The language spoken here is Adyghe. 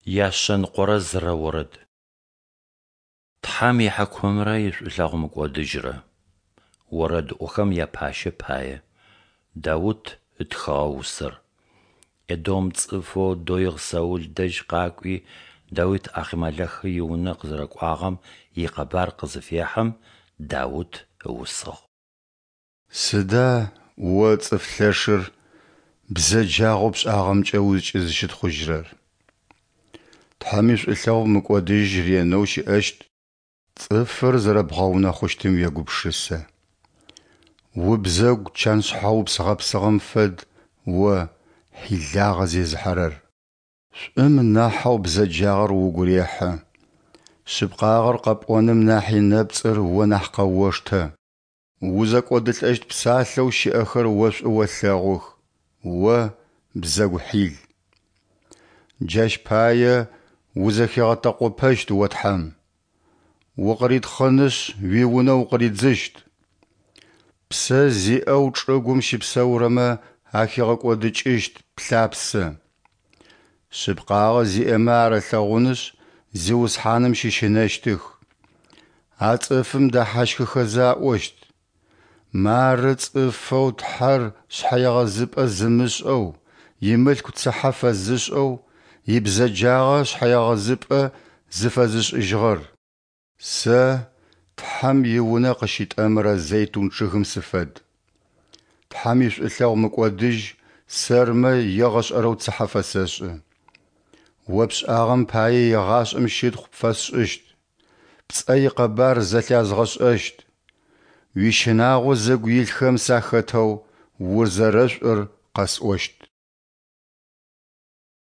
101-рэ орэд. Тхьэм ихьыкумрэ ишӏулъэгъу мыкӏодыжьрэ. Орэдыӏохэм япащэ пае. Даут ытхыгъэ усэр. Эдом цӏыфэу Доигъ Саул дэжь къакӏуи Даут Ахъимэлэх иунэ къызэрэкӏуагъэм икъэбар къызыфехьым, Даут ыусыгъ. Сыда о, цӏыф лъэшыр, бзэджагъэу пшӏагъэмкӏэ узкӏызыщытхъужьырэр? Тхьэм ишӏулъэгъу мыкӏодыжь ренэу щыӏэщт. Цӏыфыр зэрэбгъэунэхъущтым уегупшысэ. Убзэгу чан шъхьэупс гъэпсыгъэм фэд о, хьилагъэ зезыхьэрэр. Шӏум нахьэу бзэджагъэр угу рехьы, шъыпкъагъэр къэпӏоным нахьи нэпцӏыр о нахь къэоштэ. Узэкӏодылӏэщт псалъэу щыӏэхэр о шӏу олъэгъух, о, бзэгу хьил. Джащ пае узэхигъэтэкъопэщт о Тхьэм, укъыритхъынышъ, уиунэ укъыридзыщт. Псэ зиӏэу чӏыгум щыпсэурэмэ ахигъэкӏодыкӏыщт плъапсэ. Шъыпкъагъэ зиӏэмэ ар алъэгъунышъ, Зиусхьаным щыщынэщтых. А цӏыфым дэхьащхыхэзэ аӏощт: Мары цӏыфэу Тхьэр шъхьэегъэзыпӏэ зымышӏэу, имылъку цыхьэ фэзышӏэу, ибзэджагъэ шъхьэегъэзыпӏэ зыфэзышӏыжьыгъэр. Сэ Тхьэм иунэ къыщытӏэмырэ зейтун чъыгым сыфэд. Тхьэм ишӏулъэгъу мыкӏодыжь сэрмэ егъэшӏэрэу цыхьэ фэсэшӏы. О пшӏагъэм пае егъашӏэм щытхъу пфэсшӏыщт, пцӏэ икъэбар зэлъязгъэшӏэщт. Уищынагъо зыгу илъхэм сахэтэу узэрэшӏур къэсӏощт.